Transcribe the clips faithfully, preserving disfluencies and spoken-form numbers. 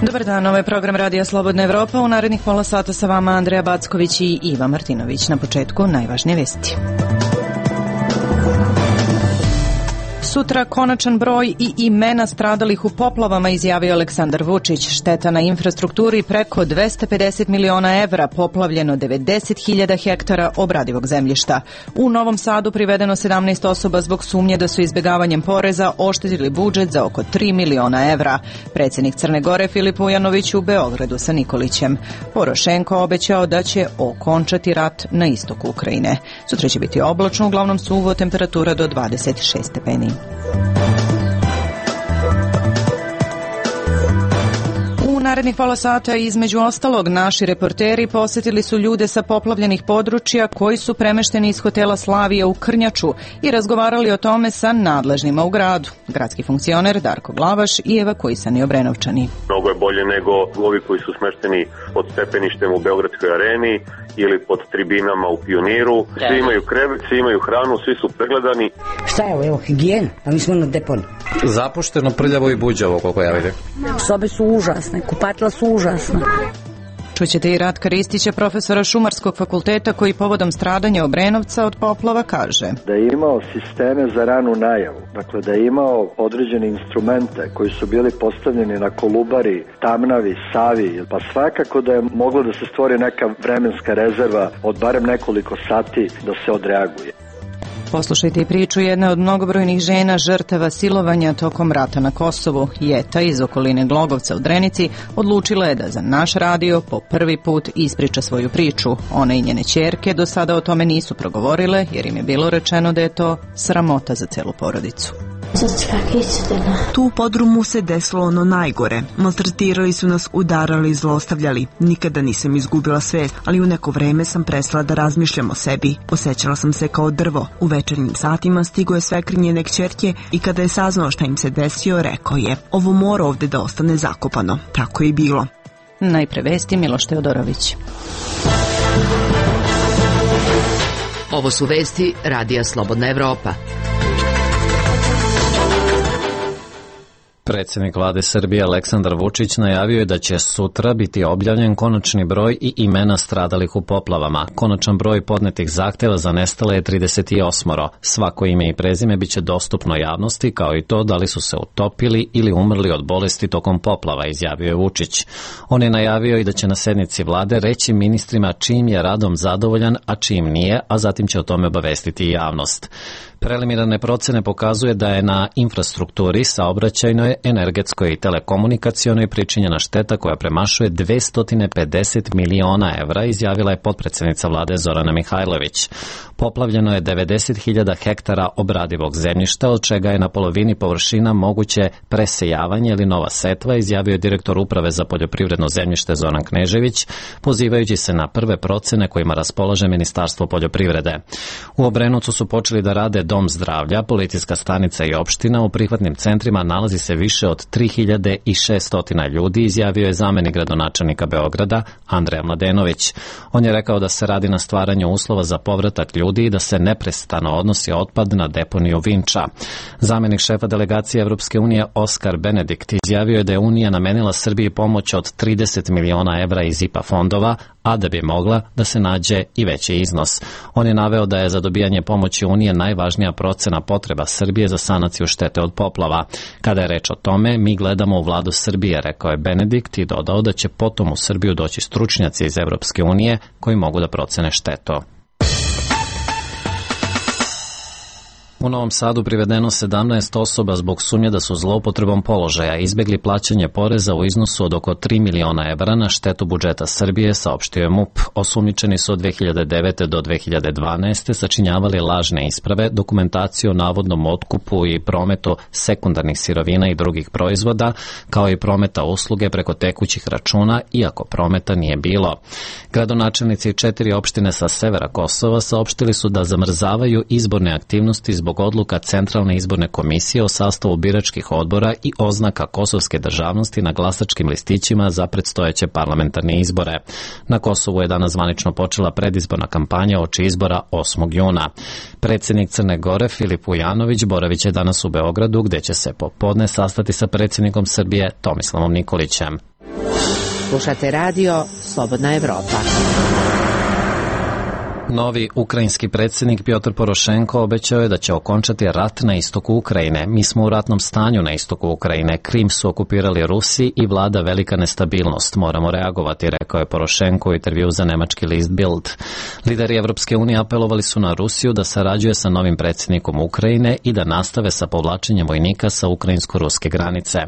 Dobar dan, ovo je program Radija Slobodna Evropa. U narednih pola sata sa vama Andreja Backović i Iva Martinović. Na početku najvažnije vesti. Sutra konačan broj i imena stradalih u poplavama, izjavio Aleksandar Vučić. Šteta na infrastrukturi preko dvesta pedeset miliona evra, poplavljeno devedeset hiljada hektara obradivog zemljišta. U Novom Sadu privedeno sedamnaest osoba zbog sumnje da su izbegavanjem poreza oštetili budžet za oko tri miliona evra. Predsjednik Crne Gore Filip Vujanović u Beogradu sa Nikolićem. Porošenko obećao da će okončati rat na istoku Ukrajine. Sutra će biti oblačno, uglavnom suvo, temperatura do dvadeset šest stepeni. U narednih pola sata, između ostalog, naši reporteri posjetili su ljude sa poplavljenih područja koji su premešteni iz hotela Slavija u Krnjaču i razgovarali o tome sa nadležnima u gradu. Gradski funkcioner Darko Glavaš i evakuisani Obrenovčani. Mnogo je bolje nego ovi koji su smešteni pod stepeništem u Beogradskoj areni ili pod tribinama u Pioniru. Svi imaju krevet, svi imaju hranu, svi su pregledani. Šta je ovo, evo, higijena, a mi smo na deponi. Zapušteno, prljavo i buđavo, koliko ja vidim. Sobe su užasne, kupatila su užasna. Čućete i Ratka Ristića, profesora Šumarskog fakulteta, koji povodom stradanja Obrenovca od poplava kaže: da je imao sisteme za ranu najavu, dakle da je imao određene instrumente koji su bili postavljeni na Kolubari, Tamnavi, Savi, pa svakako da je moglo da se stvori neka vremenska rezerva od barem nekoliko sati da se odreaguje. Poslušajte i priču jedne od mnogobrojnih žena žrtava silovanja tokom rata na Kosovu. Jeta iz okoline Glogovca u Drenici odlučila je da za naš radio po prvi put ispriča svoju priču. Ona i njene ćerke do sada o tome nisu progovorile jer im je bilo rečeno da je to sramota za celu porodicu. Tu u podrumu se desilo ono najgore. Maltretirali su nas, udarali, zlostavljali. Nikada nisam izgubila svest, ali u neko vreme sam prestala da razmišljam o sebi. Osjećala sam se kao drvo. U večernjim satima stigo je svekr njene kćerke i kada je saznao šta im se desio, rekao je: ovo mora ovde da ostane zakopano. Tako je i bilo. Najpre vesti, Miloš Teodorović. Ovo su vesti Radija Slobodna Evropa. Predsjednik vlade Srbije Aleksandar Vučić najavio je da će sutra biti objavljen konačni broj i imena stradalih u poplavama. Konačan broj podnetih zahteva za nestale je trideset osam. Svako ime i prezime biće dostupno javnosti, kao i to da li su se utopili ili umrli od bolesti tokom poplava, izjavio je Vučić. On je najavio i da će na sednici vlade reći ministrima čijim je radom zadovoljan, a čijim nije, a zatim će o tome obavestiti i javnost. Preliminarne procene pokazuje da je na infrastrukturi, saobraćajnoj, energetskoj i telekomunikacionoj pričinjena šteta koja premašuje dvesta pedeset miliona evra, izjavila je potpredsednica vlade Zorana Mihajlović. Poplavljeno je devedeset hiljada hektara obradivog zemljišta, od čega je na polovini površina moguće presejavanje ili nova setva, izjavio je direktor Uprave za poljoprivredno zemljište Zoran Knežević, pozivajući se na prve procene kojima raspolaže Ministarstvo poljoprivrede. U Obrenovcu su počeli da rade dom zdravlja, policijska stanica i opština. U prihvatnim centrima nalazi se više od tri hiljade šesto ljudi, izjavio je zamenik gradonačelnika Beograda Andreja Mladenović. On je rekao da se radi na stvaranju uslova za povratak ljudi i da se neprestano odnosi otpad na deponiju Vinča. Zamenik šefa delegacije Evropske unije Oskar Benedikt izjavio je da je Unija namenila Srbiji pomoć od trideset miliona evra iz I P A fondova, a da bi mogla da se nađe i veći iznos. On je naveo da je za dobijanje pomoći Unije najvažnija procena potreba Srbije za sanaciju štete od poplava. Kada je reč o tome, mi gledamo u vladu Srbije, rekao je Benedikt i dodao da će potom u Srbiju doći stručnjaci iz Evropske unije koji mogu da procene štetu. U Novom Sadu privedeno sedamnaest osoba zbog sumnje da su zloupotrebom položaja izbegli plaćanje poreza u iznosu od oko tri miliona evra na štetu budžeta Srbije, saopštio je MUP. Osumnjičeni su od dve hiljade devete do dve hiljade dvanaeste sačinjavali lažne isprave, dokumentaciju o navodnom otkupu i prometu sekundarnih sirovina i drugih proizvoda, kao i prometa usluge preko tekućih računa, iako prometa nije bilo. Gradonačelnici četiri opštine sa severa Kosova saopštili su da zamrzavaju izborne aktivnosti zbog zbog odluka Centralne izborne komisije o sastavu biračkih odbora i oznaka kosovske državnosti na glasačkim listićima za predstojeće parlamentarne izbore. Na Kosovu je danas zvanično počela predizborna kampanja oči izbora osmog juna. Predsjednik Crne Gore Filip Vujanović boravit će danas u Beogradu, gde će se popodne sastati sa predsjednikom Srbije Tomislavom Nikolićem. Slušate radio Slobodna Evropa. Novi ukrajinski predsjednik Pjotr Porošenko obećao je da će okončati rat na istoku Ukrajine. Mi smo u ratnom stanju na istoku Ukrajine. Krim su okupirali Rusi i vlada velika nestabilnost. Moramo reagovati, rekao je Porošenko u intervju za nemački list Bild. Lideri Evropske unije apelovali su na Rusiju da sarađuje sa novim predsjednikom Ukrajine i da nastave sa povlačenjem vojnika sa ukrajinsko-ruske granice.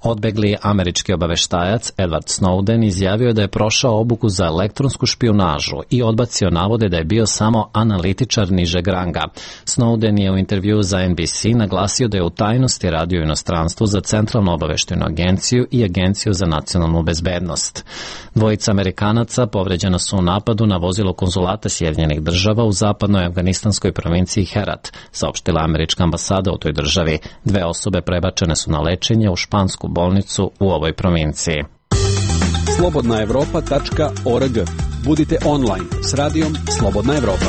Odbegli američki obaveštajac Edward Snowden izjavio je da je prošao obuku za elektronsku špijunažu i odbacio navode da je bio samo analitičar nižeg ranga. Snowden je u intervju za N B C naglasio da je u tajnosti radio u inostranstvu za Centralnu obaveštajnu agenciju i Agenciju za nacionalnu bezbednost. Dvojica Amerikanaca povređena su u napadu na vozilo konzulata Sjedinjenih država u zapadnoj afganistanskoj provinciji Herat, saopštila američka ambasada u toj državi. Dve osobe prebačene su na lečenje u špansku bolnicu u ovoj provinciji. slobodna evropa tačka org. Budite online s radijom Slobodna Evropa.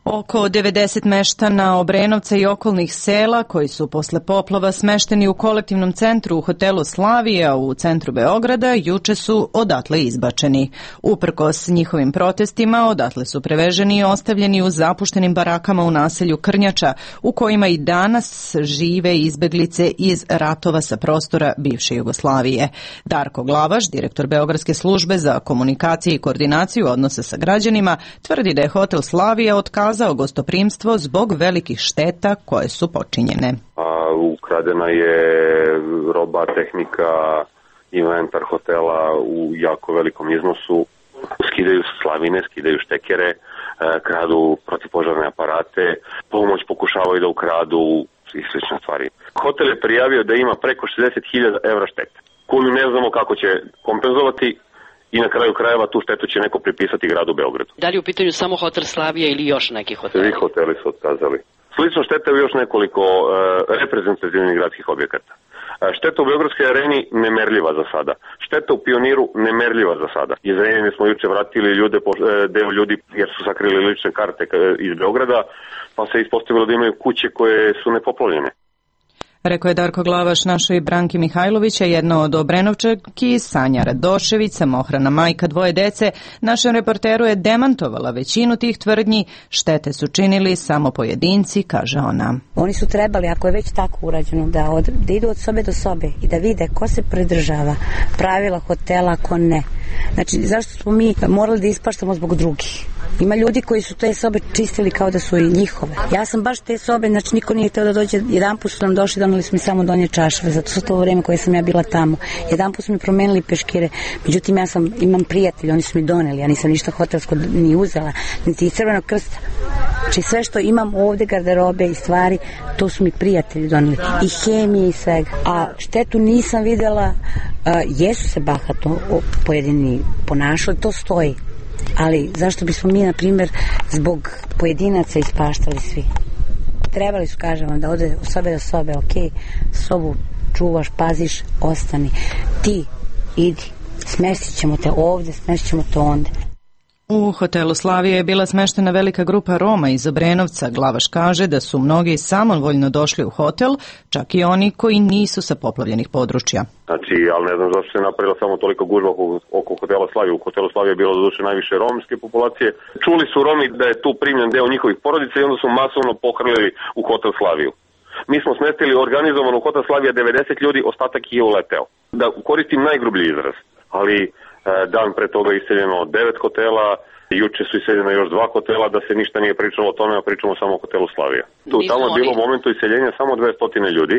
Oko devedeset meštana Obrenovca i okolnih sela koji su posle poplava smešteni u kolektivnom centru u hotelu Slavija u centru Beograda juče su odatle izbačeni. Uprkos njihovim protestima odatle su preveženi i ostavljeni u zapuštenim barakama u naselju Krnjača u kojima i danas žive izbeglice iz ratova sa prostora bivše Jugoslavije. Darko Glavaš, direktor Beogradske službe za komunikacije i koordinaciju odnosa sa građanima, tvrdi da je hotel Slavija otkazao za gostoprimstvo zbog velikih šteta koje su počinjene. A, ukradena je roba, tehnika, inventar hotela u jako velikom iznosu. Skidaju slavine, skidaju štekere, kradu protivpožarne aparate, pomoć pokušavaju da ukradu i slične stvari. Hotel je prijavio da ima preko šezdeset hiljada evra štete, koju ne znamo kako će kompenzovati. I na kraju krajeva tu štetu će neko pripisati gradu Beogradu. Da li je u pitanju samo hotel Slavija ili još neki hoteli? Svi hoteli su otkazali. Slično šteta je još nekoliko e, reprezentativnih gradskih objekata. E, šteta u Beogradskoj areni nemerljiva za sada. Šteta u Pioniru nemerljiva za sada. Iz Renjine smo juče vratili ljude, e, deo ljudi jer su sakrili lične karte iz Beograda, pa se ispostavilo da imaju kuće koje su nepoplavljene. Rekao je Darko Glavaš našoj Branki Mihajlovića, jedna od Obrenovčanki, Sanja Radošević, samohrana majka dvoje dece. Našem reporteru je demantovala većinu tih tvrdnji. Štete su činili samo pojedinci, kaže ona. Oni su trebali, ako je već tako urađeno, da, od, da idu od sobe do sobe i da vide ko se pridržava pravila hotela, ko ne. Znači, zašto smo mi morali da ispaštamo zbog drugih? Ima ljudi koji su te sobe čistili kao da su i njihove. Ja sam baš te sobe, znači niko nije hteo da dođe, jedan put su nam došli, doneli su mi samo donje čašave, zato su to vreme koje sam ja bila tamo. Jedan put su mi promenili peškire, međutim ja sam, imam prijatelji, oni su mi doneli, ja nisam ništa hotelsko ni uzela, niti iz Crvenog krsta. Znači sve što imam ovde, garderobe i stvari, to su mi prijatelji doneli. I hemije i svega. A štetu nisam videla, uh, jesu se bahato pojedini ponašali, to stoji. Ali zašto bismo mi, na primjer, zbog pojedinaca ispaštali svi? Trebali su, kažem vam, da ode od sobe do sobe, ok, sobu čuvaš, paziš, ostani. Ti, idi, smestit ćemo te ovde, smestit ćemo te onda. U hotelu Slavija je bila smeštena velika grupa Roma iz Obrenovca. Glavaš kaže da su mnogi samovoljno došli u hotel, čak i oni koji nisu sa poplavljenih područja. Znači, ali ne znam zašto se napravila samo toliko gužva oko, oko hotela Slavija. U hotelu Slavija je bilo doduše najviše romske populacije. Čuli su Romi da je tu primljen deo njihovih porodica i onda su masovno pohrlili u hotel Slaviju. Mi smo smestili organizovano u hotel Slavija devedeset ljudi, ostatak je uleteo. Da koristim najgrublji izraz, ali dan pre toga je iseljeno devet hotela, juče su iseljeno još dva hotela, da se ništa nije pričalo o tome, a pričamo samo o hotelu Slavija. Tu tamo je bilo u momentu iseljenja samo dvesta ljudi,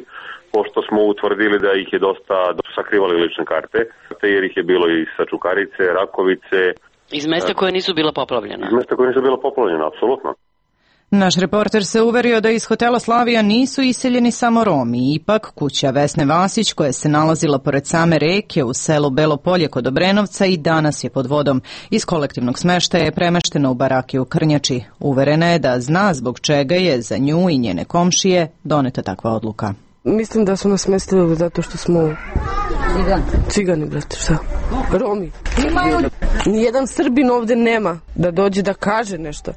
pošto smo utvrdili da ih je dosta, da su sakrivali lične karte, jer ih je bilo i sa Čukarice, Rakovice. Iz mesta koje nisu bila poplavljena? Iz mesta koje nisu bila poplavljena, apsolutno. Naš reporter se uverio da iz hotela Slavija nisu iseljeni samo Romi. Ipak, kuća Vesne Vasić, koja se nalazila pored same reke u selu Belo Polje kod Obrenovca, i danas je pod vodom. Iz kolektivnog smeštaja je premeštena u barake u Krnjači. Uverena je da zna zbog čega je za nju i njene komšije doneta takva odluka. Mislim da su nas smestili zato što smo Cigani, Cigani brate, šta? Romi. Nijedan Srbin ovde nema da dođe da kaže nešto.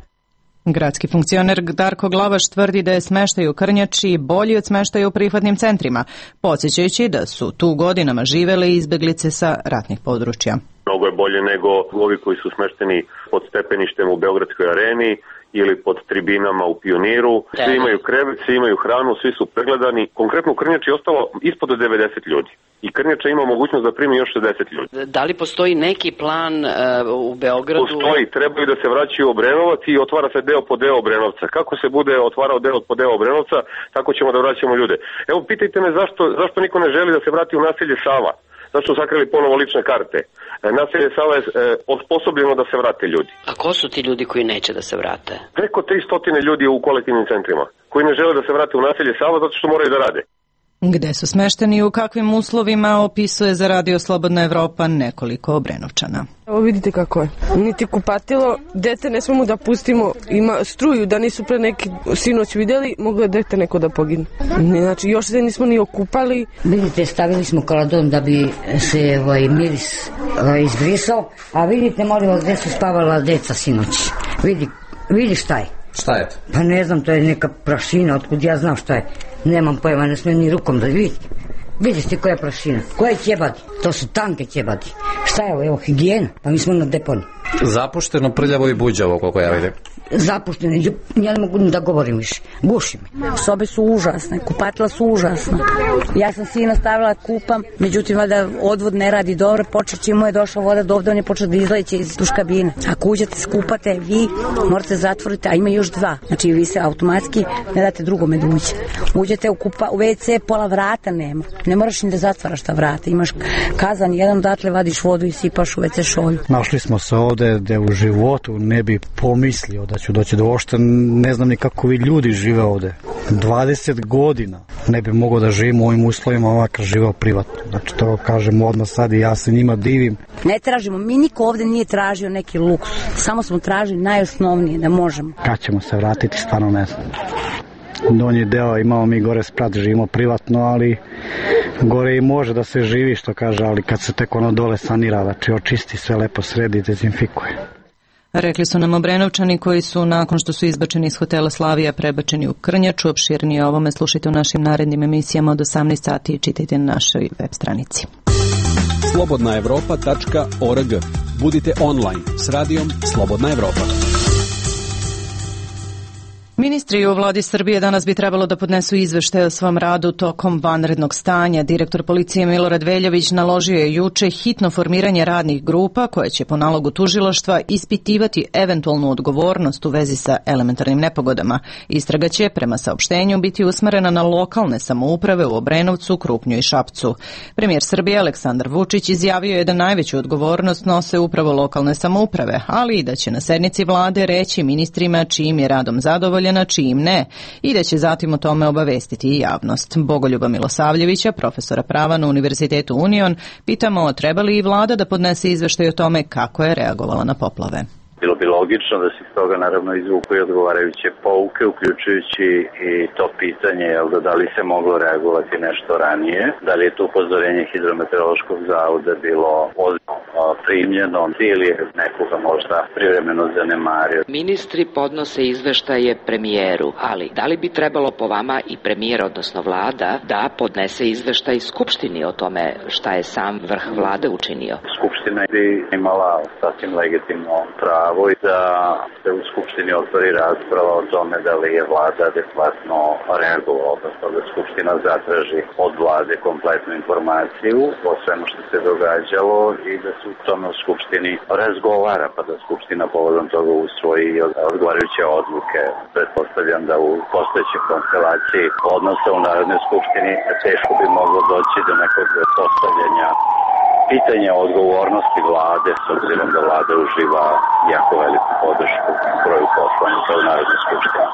Gradski funkcioner Darko Glavaš tvrdi da je smeštaj u Krnjači bolji od smeštaja u prihvatnim centrima, podsjećajući da su tu godinama živele izbeglice sa ratnih područja. Mnogo je bolje nego ovi koji su smešteni pod stepeništem u Beogradskoj areni ili pod tribinama u Pioniru. Svi imaju krevet, svi imaju hranu, svi su pregledani. Konkretno u Krnjači je ostalo ispod devedeset ljudi. I Krnjača ima mogućnost da primi još šezdeset ljudi. Da li postoji neki plan uh, u Beogradu? Postoji, trebaju da se vraćaju u Obrenovac i otvara se deo po deo Obrenovca. Kako se bude otvarao deo po deo Obrenovca, tako ćemo da vraćamo ljude. Evo, pitajte me zašto, zašto niko ne želi da se vrati u naselje Sava. Zašto su sakrili ponovo lične karte? Naselje Sava je e, osposobljeno da se vrate ljudi. A ko su ti ljudi koji neće da se vrate? Preko tristo ljudi u kolektivnim centrima, koji ne žele da se vrate u naselje Sava zato što moraju da rade. Gde su smešteni i u kakvim uslovima, opisuje za Radio Slobodna Evropa nekoliko Obrenovčana. Evo vidite kako je. Niti kupatilo, dete ne smemo da pustimo, ima struju, da nisu pre neki sinoć videli, moglo je dete neko da pogine. Znači još se nismo ni okupali. Vidite, stavili smo kaladon da bi se ovaj, miris ovaj, izbrisao, a vidite, molim vas, gde su spavala deca sinoć. Vidi, vidi šta je. Šta je? Pa ne znam, to je neka prašina, otkud ja znam šta je. Nemam pojma, ne smijem ni rukom da vidite. Vidite koja je prašina, koje ćebadi. To su tanke ćebadi. Šta je ovo, evo, higijena, pa mi smo na deponi. Zapušteno, prljavo i buđavo, koliko ja vidim. Zapušteno, ja ne mogu da govorim više. Guši me. Sobe su užasne, kupatila su užasna. Ja sam sina stavila kupam, međutim, da odvod ne radi dobro, počet će mu je došla voda do ovde, on je počeo da izleće iz duš kabine. Ako uđete, skupate, vi morate zatvoriti, a ima još dva. Znači, vi se automatski ne date drugome da uđe. Uđete u, kupa, u ve ce, pola vrata nema. Ne moraš ni da zatvaraš ta vrata. Imaš kazan, jedan odatle vadiš vodu i sipaš u ve ce šolju. Našli smo se ovde gde u životu ne bi pomislio da ću doći do ošte, ne znam ni kako vi ljudi žive ovde. dvadeset godina ne bi mogao da živim u ovim uslovima ovakav živao privatno. Znači to kažem odmah sad i ja se njima divim. Ne tražimo, mi niko ovde nije tražio neki luks. Samo smo tražili najosnovnije da možemo. Kad ćemo se vratiti, stvarno ne znam. Donji deo imamo mi gore sprat, živimo privatno, ali gore i može da se živi, što kaže, ali kad se tek ono dole sanira, znači očisti, sve lepo sredi, dezinfikuje. Rekli su nam Obrenovčani koji su, nakon što su izbačeni iz hotela Slavija, prebačeni u Krnjaču. Opširnije o ovome slušajte u našim narednim emisijama od osamnaest sati i čitajte na našoj web stranici. slobodna evropa tačka org. Budite online s radijom Slobodna Evropa. Ministri u vladi Srbije danas bi trebalo da podnesu izveštaj o svom radu tokom vanrednog stanja. Direktor policije Milorad Veljović naložio je juče hitno formiranje radnih grupa koje će po nalogu tužilaštva ispitivati eventualnu odgovornost u vezi sa elementarnim nepogodama. Istraga će, prema saopštenju, biti usmerena na lokalne samouprave u Obrenovcu, Krupnju i Šapcu. Premijer Srbije Aleksandar Vučić izjavio je da najveću odgovornost nose upravo lokalne samouprave, ali i da će na sednici vlade reći ministrima čijim je radom zadovoljan, na čijim ne, i da će zatim o tome obavestiti i javnost. Bogoljuba Milosavljevića, profesora prava na Univerzitetu Union, pitamo treba li i vlada da podnese izveštaj o tome kako je reagovala na poplave. Bilo bi logično da se iz toga naravno izvuku i odgovarajuće pouke, uključujući i to pitanje, jel da, da li se moglo reagovati nešto ranije, da li je to upozorenje Hidrometeorološkog zavoda bilo primljeno ili je nekoga možda privremeno zanemario. Ministri podnose izveštaje premijeru, ali da li bi trebalo po vama i premijer, odnosno vlada, da podnese izveštaj Skupštini o tome šta je sam vrh vlade učinio? Skupština bi imala sasvim legitimno pravo i da se u Skupštini otvori rasprava o tome da li je vlada adekvatno reagovala, odnosno da Skupština zatraži od vlade kompletnu informaciju o svemu što se događalo i da se u tome u Skupštini razgovara, pa da Skupština povodom toga usvoji odgovarajuće odluke. Pretpostavljam da u postojećoj konstelaciji odnosa u Narodnoj skupštini teško bi moglo doći do nekog postavljanja pitanja o odgovornosti vlade, s obzirom da vlada uživa jako veliku podršku broju poslanika u Narodnoj skupštini.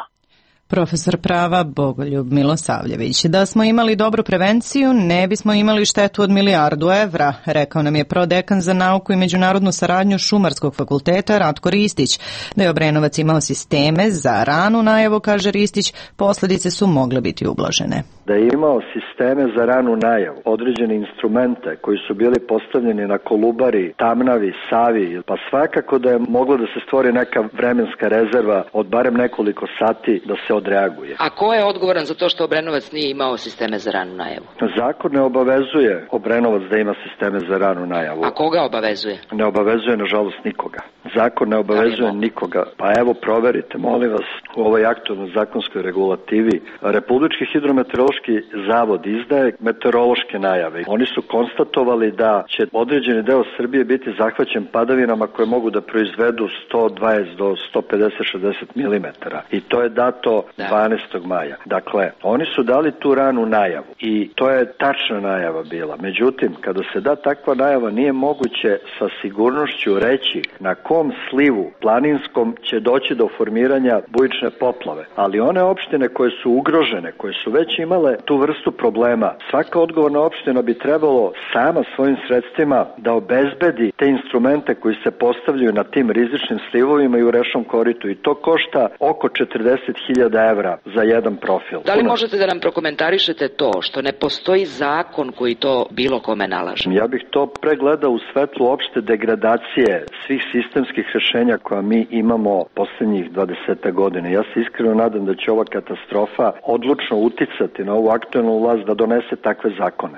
Profesor prava Bogoljub Milosavljević. Da smo imali dobru prevenciju, ne bismo imali štetu od milijardu evra, rekao nam je prodekan za nauku i međunarodnu saradnju Šumarskog fakulteta Ratko Ristić. Da je Obrenovac imao sisteme za ranu najavu, kaže Ristić, posledice su mogle biti ublažene. da je imao sisteme za ranu najavu, određene instrumente koji su bili postavljeni na Kolubari, Tamnavi, Savi, pa svakako da je moglo da se stvori neka vremenska rezerva od barem nekoliko sati da se odreaguje. A ko je odgovoran za to što Obrenovac nije imao sisteme za ranu najavu? Zakon ne obavezuje Obrenovac da ima sisteme za ranu najavu. A koga obavezuje? Ne obavezuje, nažalost, nikoga. Zakon ne obavezuje nikoga. Pa evo, proverite, molim vas, u ovoj aktualnoj zakonskoj regulativi. Republički hidrometeorološki zavod izdaje meteorološke najave. Oni su konstatovali da će određeni deo Srbije biti zahvaćen padavinama koje mogu da proizvedu sto dvadeset do sto pedeset šezdeset milimetara. I to je dato dvanaestog maja. Dakle, oni su dali tu ranu najavu i to je tačna najava bila. Međutim, kada se da takva najava, nije moguće sa sigurnošću reći na kom slivu planinskom će doći do formiranja bujične poplave. Ali one opštine koje su ugrožene, koje su već imale tu vrstu problema, svaka odgovorna opština bi trebalo sama svojim sredstvima da obezbedi te instrumente koji se postavljaju na tim rizičnim slivovima i u rečnom koritu. I to košta oko četrdeset hiljada evra za jedan profil. Da li možete da nam prokomentarišete to što ne postoji zakon koji to bilo kome nalaže? Ja bih to pregledao u svetlu opšte degradacije svih sistemskih rešenja koja mi imamo poslednjih dvadeset godina. Ja se iskreno nadam da će ova katastrofa odlučno uticati na ovu aktuelnu vlast da donese takve zakone.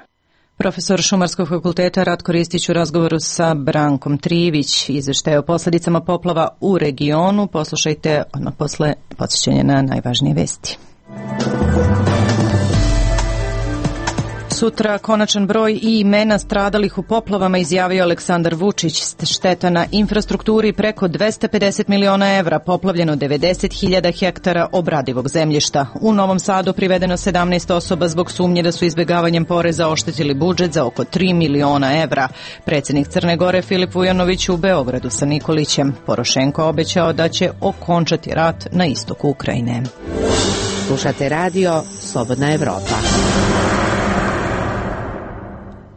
Profesor Šumarskog fakulteta Ratko Ristić u razgovoru sa Brankom Trivić. Izveštaj o posledicama poplava u regionu. Poslušajte odmah posle podsjećanja na najvažnije vesti. Sutra konačan broj i imena stradalih u poplavama izjavio Aleksandar Vučić. Šteta na infrastrukturi preko dvesta pedeset miliona evra, poplavljeno devedeset hiljada hektara obradivog zemljišta. U Novom Sadu privedeno sedamnaest osoba zbog sumnje da su izbegavanjem poreza oštetili budžet za oko tri miliona evra. Predsjednik Crne Gore Filip Vujanović u Beogradu sa Nikolićem. Porošenko obećao da će okončati rat na istoku Ukrajine. Slušate radio Slobodna Evropa.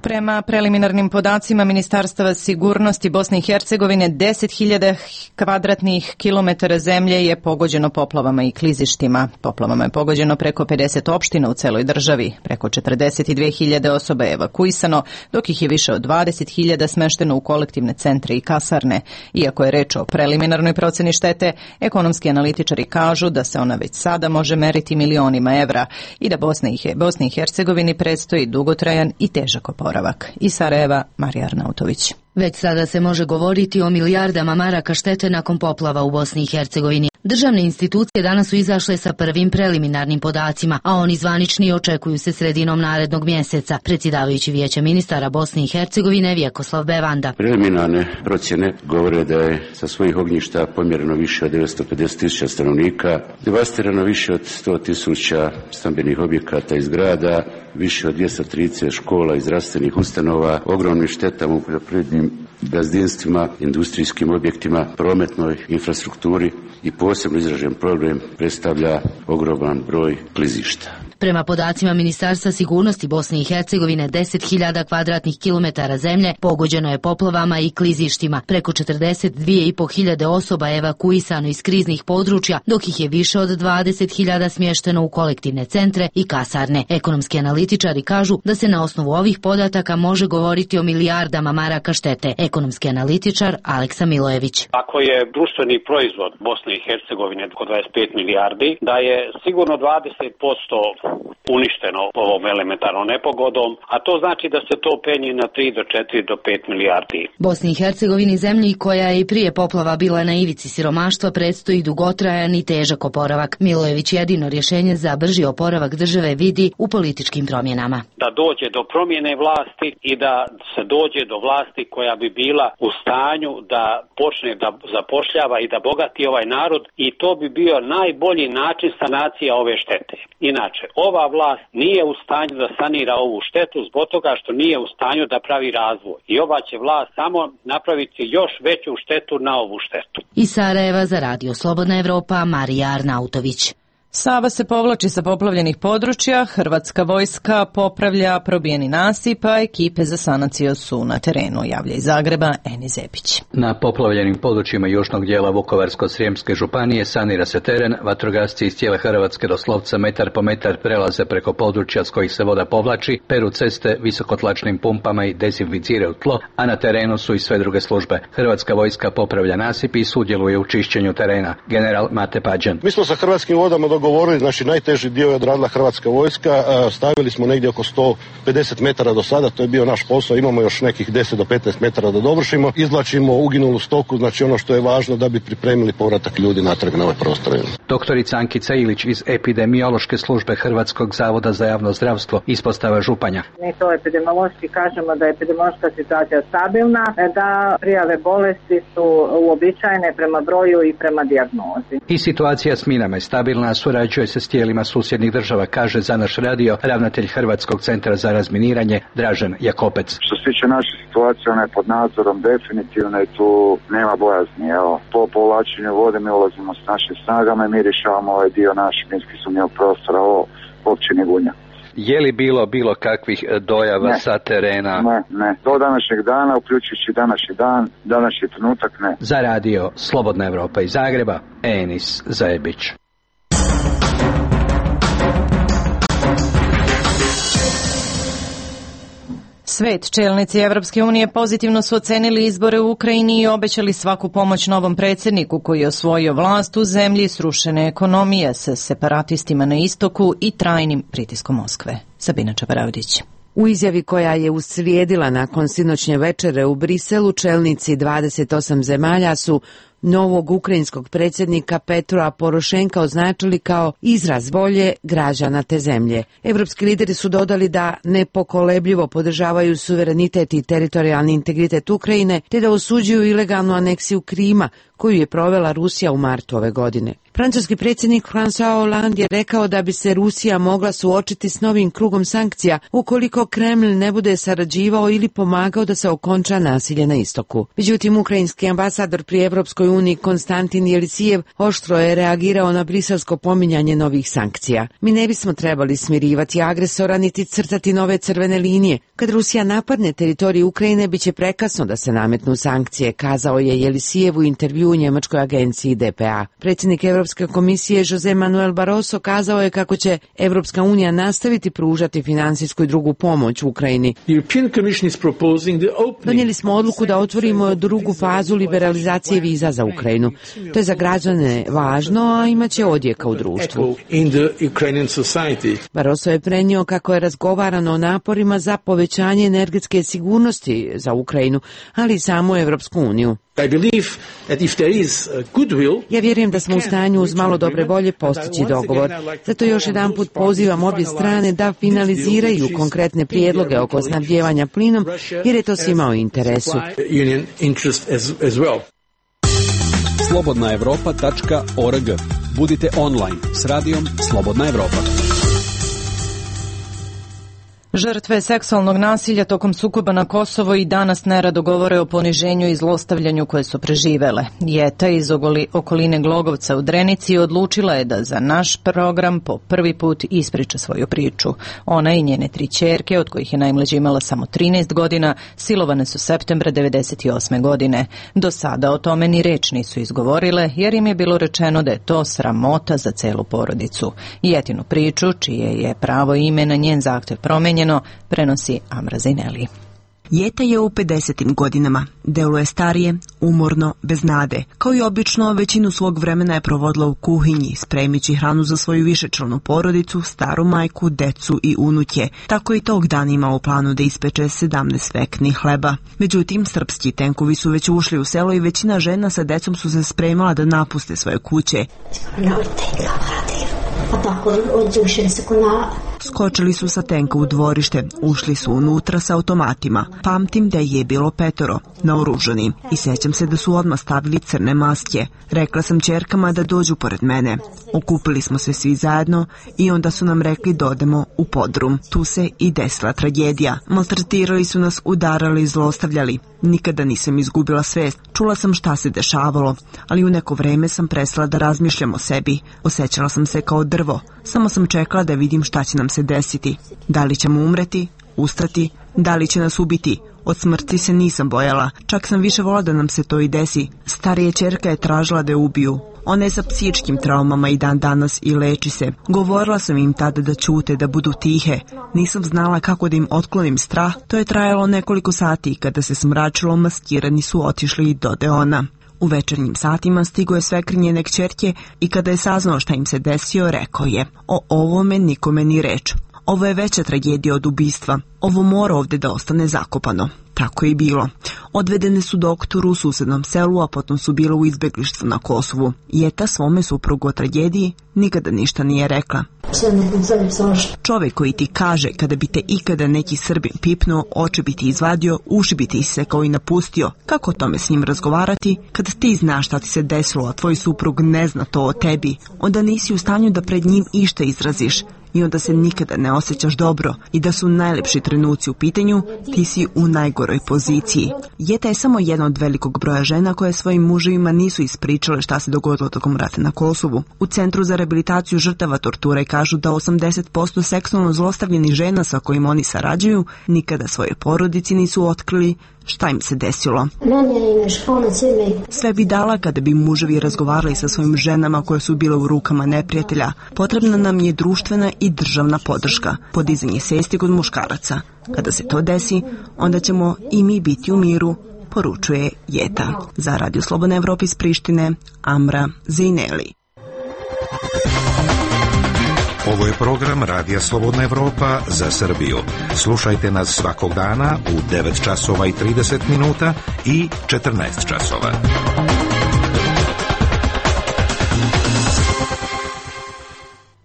Prema preliminarnim podacima Ministarstva sigurnosti Bosne i Hercegovine, deset hiljada kvadratnih kilometara zemlje je pogođeno poplavama i klizištima. Poplavama je pogođeno preko pedeset opština u celoj državi. Preko četrdeset dve hiljade osoba je evakuisano, dok ih je više od dvadeset hiljada smešteno u kolektivne centre i kasarne. Iako je reč o preliminarnoj proceni štete, ekonomski analitičari kažu da se ona već sada može meriti milionima evra i da Bosni i Hercegovini predstoji dugotrajan i težak oporavak. Iz Sarajeva, Marija Arnautović. Već sada se može govoriti o milijardama maraka štete nakon poplava u Bosni i Hercegovini. Državne institucije danas su izašle sa prvim preliminarnim podacima, a oni zvanični očekuju se sredinom narednog mjeseca. Predsjedavajući Vijeća ministara Bosne i Hercegovine Vjekoslav Bevanda. Preliminarne procjene govore da je sa svojih ognjišta pomjereno više od devetsto pedeset tisuća stanovnika, devastirano više od sto tisuća stambenih objekata i zgrada, više od dvjesto trideset škola i zdravstvenih ustanova, ogromnim štetama u poljoprivrednim gazdinstvima, industrijskim objektima, prometnoj infrastrukturi i posebno izražen problem predstavlja ogroman broj klizišta. Prema podacima Ministarstva sigurnosti Bosne i Hercegovine, deset hiljada kvadratnih kilometara zemlje pogođeno je poplavama i klizištima. Preko četrdeset dvije i po hiljade osoba je evakuisano iz kriznih područja, dok ih je više od dvadeset hiljada smješteno u kolektivne centre i kasarne. Ekonomski analitičari kažu da se na osnovu ovih podataka može govoriti o milijardama maraka štete. Ekonomski analitičar Aleksa Milojević. Ako je društveni proizvod Bosne i Hercegovine oko dvadeset pet milijardi, da je sigurno dvadeset posto uništeno ovom elementarnom nepogodom, a to znači da se to penji na tri do četiri do pet milijardi. Bosni i Hercegovini, zemlji koja je i prije poplava bila na ivici siromaštva, predstoji dugotrajan i težak oporavak. Milojević jedino rješenje za brži oporavak države vidi u političkim promjenama. Da dođe do promjene vlasti i da se dođe do vlasti koja bi bila u stanju da počne da zapošljava i da bogati ovaj narod, i to bi bio najbolji način sanacije ove štete. Inače, ova vlast nije u stanju da sanira ovu štetu zbog toga što nije u stanju da pravi razvoj. I ova će vlast samo napraviti još veću štetu na ovu štetu. Iz Sarajeva za radio Slobodna Evropa, Marija Arnautović. Sava se povlači sa poplavljenih područja, hrvatska vojska popravlja probijeni nasip, a ekipe za sanaciju su na terenu, javlja iz Zagreba Eni Zepić. Na poplavljenim područjima južnog dijela Vukovarsko-srijemske županije sanira se teren, vatrogasci iz cijele Hrvatske doslovce metar po metar prelaze preko područja s kojih se voda povlači, peru ceste visokotlačnim pumpama i dezinficiraju tlo, a na terenu su i sve druge službe. Hrvatska vojska popravlja nasip i sudjeluje u čišćenju terena. General Mate Pađan. Mi smo sa Hrvatskim vodama dogovorili, znači najteži dio je odradila Hrvatska vojska, stavili smo negdje oko sto pedeset metara do sada, to je bio naš posao, imamo još nekih deset do petnaest metara da dovršimo, izvlačimo uginulu stoku, znači ono što je važno da bi pripremili povratak ljudi natrag na ove prostore. Doktorica Ankica Ilić iz epidemiološke službe Hrvatskog zavoda za javno zdravstvo, ispostava Županja. Mi to epidemiološki kažemo da je epidemiološka situacija stabilna, da prijave bolesti su uobičajene prema broju i prema dijagnozi. I situacija s minama je stabilna, surađuje se s tijelima susjednih država, kaže za naš radio ravnatelj Hrvatskog centra za razminiranje Dražen Jakopec. Što se tiče naše situacije, ona je pod nadzorom definitivno i tu nema bojazni. Evo, po povlačenju vode mi ulazimo s našim snagama i mi rješavamo ovaj dio našeg minski sumnjivog prostora o općini Gunja. Je li bilo bilo kakvih dojava ne. sa terena? Ne, ne. Do današnjeg dana, uključujući današnji dan, današnji trenutak, ne. Za radio Slobodna Evropa iz Zagreba, Enis Zajebić. Svet, čelnici Evropske unije pozitivno su ocenili izbore u Ukrajini i obećali svaku pomoć novom predsjedniku koji je osvojio vlast u zemlji srušene ekonomije sa separatistima na istoku i trajnim pritiskom Moskve. Sabina Čaparavdić. U izjavi koja je uslijedila nakon sinoćnje večere u Briselu, čelnici dvadeset osam zemalja su novog ukrajinskog predsjednika Petra Porošenka označili kao izraz volje građana te zemlje. Evropski lideri su dodali da nepokolebljivo podržavaju suverenitet i teritorijalni integritet Ukrajine, te da osuđuju ilegalnu aneksiju Krima, koju je provela Rusija u martu ove godine. Francuski predsjednik François Hollande je rekao da bi se Rusija mogla suočiti s novim krugom sankcija ukoliko Kreml ne bude sarađivao ili pomagao da se okonča nasilje na istoku. Međutim, ukrajinski ambasador pri Evropskoj uniji Konstantin Jelisijev oštro je reagirao na briselsko pominjanje novih sankcija. Mi ne bismo trebali smirivati agresora niti crtati nove crvene linije. Kad Rusija napadne teritoriju Ukrajine, bit će prekasno da se nametnu sankcije, kazao je Jelisijev u intervju u njemačkoj agenciji D P A. Predsjednik Evropske komisije Jose Manuel Barroso kazao je kako će Evropska unija nastaviti pružati finansijsku i drugu pomoć u Ukrajini. Donijeli smo odluku da otvorimo drugu fazu liberalizacije viza za Ukrajinu. To je za građane važno, a imaće odjeka u društvu. Barroso je prenio kako je razgovarano o naporima za povećanje energetske sigurnosti za Ukrajinu, ali i samu Evropsku uniju. Ja vjerujem da smo u stanju uz malo dobre volje postići dogovor. Zato još jedan put pozivam obje strane da finaliziraju konkretne prijedloge oko snabdijevanja plinom, jer je to svima u interesu. slobodna evropa tačka org. Budite online s radijom Slobodna Evropa. Žrtve seksualnog nasilja tokom sukoba na Kosovo i danas nerado govore o poniženju i zlostavljanju koje su preživele. Jeta iz okoline Glogovca u Drenici odlučila je da za naš program po prvi put ispriča svoju priču. Ona i njene tri ćerke, od kojih je najmlađa imala samo trinaest godina, silovane su septembra devedeset osme godine. Do sada o tome ni reč nisu izgovorile, jer im je bilo rečeno da je to sramota za celu porodicu. Jetinu priču, čije je pravo ime na njen zahtev promenjeno, prenosi Amra Zaineli. Jeta je u pedesetim godinama. Deluje starije, umorno, bez nade. Kao i obično, većinu svog vremena je provodila u kuhinji, spremići hranu za svoju višečlanu porodicu, staru majku, decu i unuke. Tako i tog dana ima u planu da ispeče sedamnaest veknih hleba. Međutim, srpski tenkovi su već ušli u selo i većina žena sa decom su se spremala da napuste svoje kuće. Skočili su sa tenka u dvorište, ušli su unutra sa automatima. Pamtim da je bilo petoro, naoružani, i sećam se da su odmah stavili crne maske. Rekla sam ćerkama da dođu pored mene. Okupili smo se svi zajedno i onda su nam rekli da odemo u podrum. Tu se i desila tragedija. Maltretirali su nas, udarali i zlostavljali. Nikada nisam izgubila svest. Čula sam šta se dešavalo, ali u neko vreme sam prestala da razmišljam o sebi. Osjećala sam se kao drvo. Samo sam čekala da vidim šta će nam se desiti. Da li ćemo umreti, ustati, da li će nas ubiti. Od smrti se nisam bojala, čak sam više volila da nam se to i desi. Starija ćerka je tražila da je ubiju. Ona je sa psihičkim traumama i dan danas i leči se. Govorila sam im tada da ćute, da budu tihe. Nisam znala kako da im otklonim strah. To je trajalo nekoliko sati i kada se smračilo, maskirani su otišli i dode ona. U večernjim satima stigo je svekr njene kćerke i kada je saznao šta im se desio, rekao je: o ovome nikome ni reč. Ovo je veća tragedija od ubistva. Ovo mora ovde da ostane zakopano. Tako je i bilo. Odvedene su doktoru u susednom selu, a potom su bile u izbeglištvu na Kosovu. Jeta svome suprugu o tragediji nikada ništa nije rekla. Čovek koji ti kaže kada bi te ikada neki Srbin pipnuo, oči bi ti izvadio, uši bi ti isekao i napustio. Kako o tome s njim razgovarati? Kada ti znaš šta ti se desilo, a tvoj suprug ne zna to o tebi, onda nisi u stanju da pred njim išta izraziš. I onda se nikada ne osjećaš dobro i da su najlepši trenuci u pitanju, ti si u najgoroj poziciji. Jeta je samo jedna od velikog broja žena koje svojim muževima nisu ispričale šta se dogodilo tokom rata na Kosovu. U Centru za rehabilitaciju žrtava torture kažu da osamdeset posto seksualno zlostavljenih žena sa kojim oni sarađuju nikada svoje porodici nisu otkrili šta im se desilo. Sve bi dala kada bi muževi razgovarali sa svojim ženama koje su bile u rukama neprijatelja. Potrebna nam je društvena i državna podrška, podizanje svesti kod muškaraca. Kada se to desi, onda ćemo i mi biti u miru, poručuje Jeta. Za Radio Slobodna Evropa iz Prištine, Amra Zejneli. Ovo je program Radija Slobodna Evropa za Srbiju. Slušajte nas svakog dana u devet časova i trideset minuta i četrnaest časova.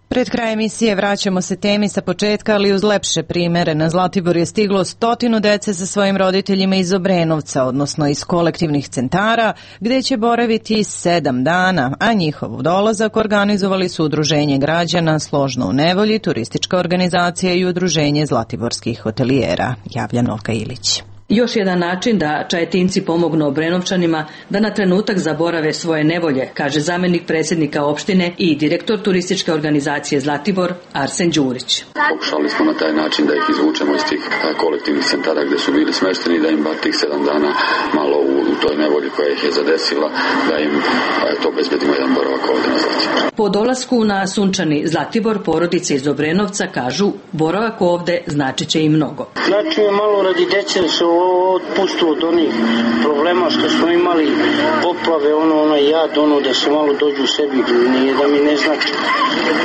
Pred kraj emisije vraćamo se temi sa početka, ali uz lepše primere. Na Zlatibor je stiglo stotinu dece sa svojim roditeljima iz Obrenovca, odnosno iz kolektivnih centara, gde će boraviti sedam dana, a njihov dolazak organizovali su Udruženje građana Složno u nevolji, turistička organizacija i Udruženje zlatiborskih hotelijera. Javlja Novka Ilić. Još jedan način da Čajetinci pomognu Obrenovčanima da na trenutak zaborave svoje nevolje, kaže zamenik predsjednika opštine i direktor turističke organizacije Zlatibor, Arsen Đurić. Pokušali smo na taj način da ih izvučemo iz tih kolektivnih centara gde su bili smešteni, da im bar tih sedam dana malo u, u toj nevolji koja ih je zadesila, da im to obezbedimo jedan boravak ovde na Zlatibor. Po dolasku na sunčani Zlatibor, porodice iz Obrenovca kažu boravak ovde značit će im mnogo. Znači malo radi dece se otpustu od onih problema što smo imali, poplave, ono, ono jad, ono da se malo dođu u sebi, nije da mi ne znači,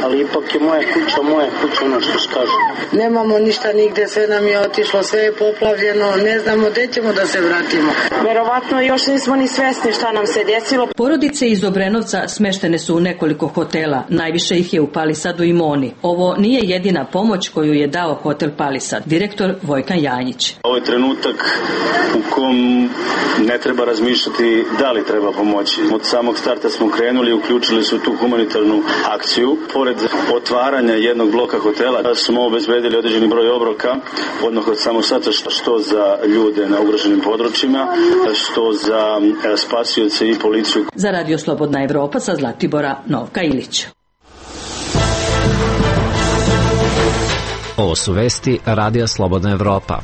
ali ipak je moja kuća, moja kuća, ono što skažu. Nemamo ništa nigde, sve nam je otišlo, sve je poplavljeno, ne znamo gde ćemo da se vratimo. Verovatno još nismo ni svesni šta nam se desilo. Porodice iz Obrenovca smeštene su u nekoliko hotela, najviše ih je u Palisadu i Moni. Ovo nije jedina pomoć koju je dao hotel Palisad, direktor Vojkan Janjić. Ovo je trenutak u kom ne treba razmišljati da li treba pomoći. Od samog starta smo krenuli i uključili su tu humanitarnu akciju. Pored otvaranja jednog bloka hotela smo obezbedili određeni broj obroka, odmah od samog starta, što za ljude na ugroženim područjima, što za spasioce i policiju. Za Radio Slobodna Evropa sa Zlatibora, Novka Ilić. Ovo su vesti Radija Slobodna Evropa.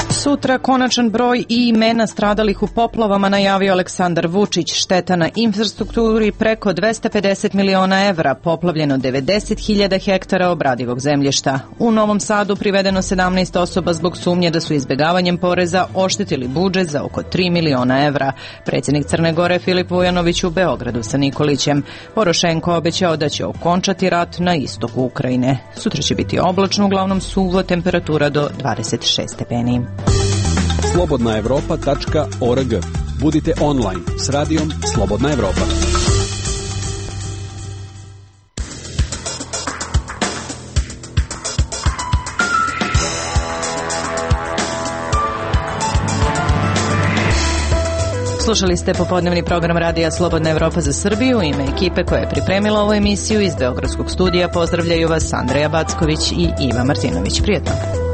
Sutra konačan broj i imena stradalih u poplavama najavio Aleksandar Vučić. Šteta na infrastrukturi preko dvesta pedeset miliona evra, poplavljeno devedeset hiljada hektara obradivog zemljišta. U Novom Sadu privedeno sedamnaest osoba zbog sumnje da su izbegavanjem poreza oštetili budžet za oko tri miliona evra. Predsjednik Crne Gore Filip Vujanović u Beogradu sa Nikolićem. Porošenko obećao da će okončati rat na istoku Ukrajine. Sutra će biti oblačno, uglavnom suvo, temperatura do dvadeset šest stepeni. slobodna evropa tačka org. Budite online s radijom Slobodna Evropa. Slušali ste popodnevni program Radija Slobodna Evropa za Srbiju. U ime ekipe koja je pripremila ovu emisiju iz Beogradskog studija pozdravljaju vas Andreja Backović i Iva Martinović. Prijetno.